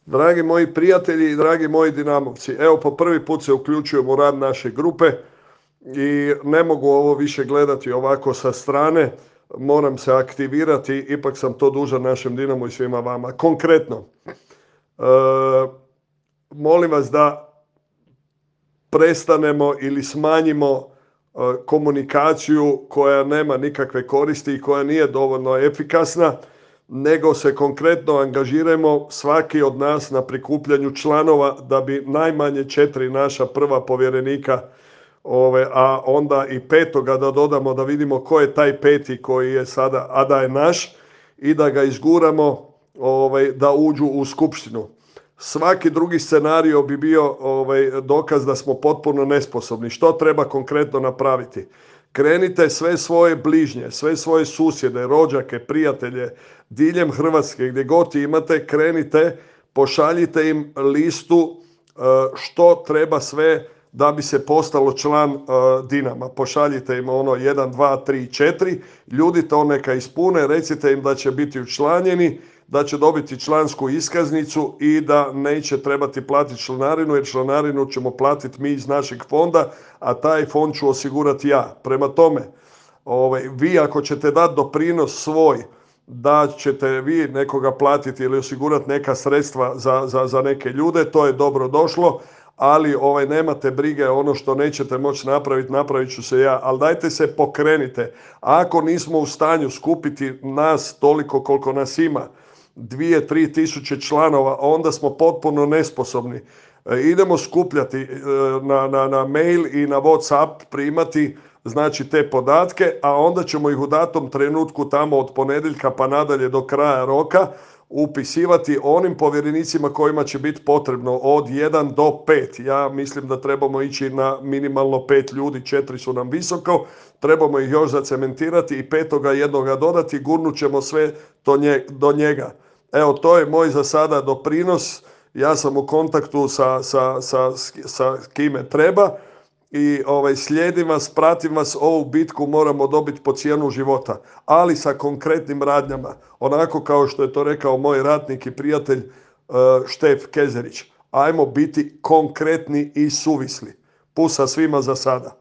Dragi moji prijatelji i dragi moji Dinamovci, evo po prvi put se uključujem u rad naše grupe i ne mogu ovo više gledati ovako sa strane, moram se aktivirati, ipak sam to dužan našem Dinamu i svima vama. Konkretno, molim vas da prestanemo ili smanjimo komunikaciju koja nema nikakve koristi i koja nije dovoljno efikasna, nego se konkretno angažiramo svaki od nas na prikupljanju članova da bi najmanje 4 naša prva povjerenika, a onda i petoga da dodamo da vidimo ko je taj peti koji je sada, a da je naš, i da ga izguramo da uđu u skupštinu. Svaki drugi scenario bi bio dokaz da smo potpuno nesposobni. Što treba konkretno napraviti? Krenite sve svoje bližnje, sve svoje susjede, rođake, prijatelje, diljem Hrvatske, gdje god imate, krenite, pošaljite im listu što treba sve da bi se postalo član Dinama. Pošaljite im 1, 2, 3, 4, ljudi to neka ispune, recite im da će biti učlanjeni, da će dobiti člansku iskaznicu i da neće trebati platiti članarinu, jer članarinu ćemo platiti mi iz našeg fonda, a taj fond ću osigurati ja. Prema tome, vi ako ćete dati doprinos svoj, da ćete vi nekoga platiti ili osigurati neka sredstva za neke ljude, to je dobro došlo, ali nemate brige, ono što nećete moći napraviti, napravit ću se ja. Ali dajte se pokrenite. Ako nismo u stanju skupiti nas toliko koliko nas ima, 2-3 tisuće članova, onda smo potpuno nesposobni. Idemo skupljati na mail i na WhatsApp, primati znači te podatke, a onda ćemo ih u datom trenutku tamo od ponedjeljka pa nadalje do kraja roka upisivati onim povjerenicima kojima će biti potrebno od 1 do 5. Ja mislim da trebamo ići na minimalno 5 ljudi, 4 su nam visoko, trebamo ih još zacementirati i 5. jednoga dodati, gurnut ćemo sve do njega. Evo, to je moj za sada doprinos. Ja sam u kontaktu sa kime treba i slijedim vas, pratim vas, ovu bitku moramo dobiti po cijenu života, ali sa konkretnim radnjama, onako kao što je to rekao moj ratnik i prijatelj Štef Kezerić. Ajmo biti konkretni i suvisli. Pusa svima za sada.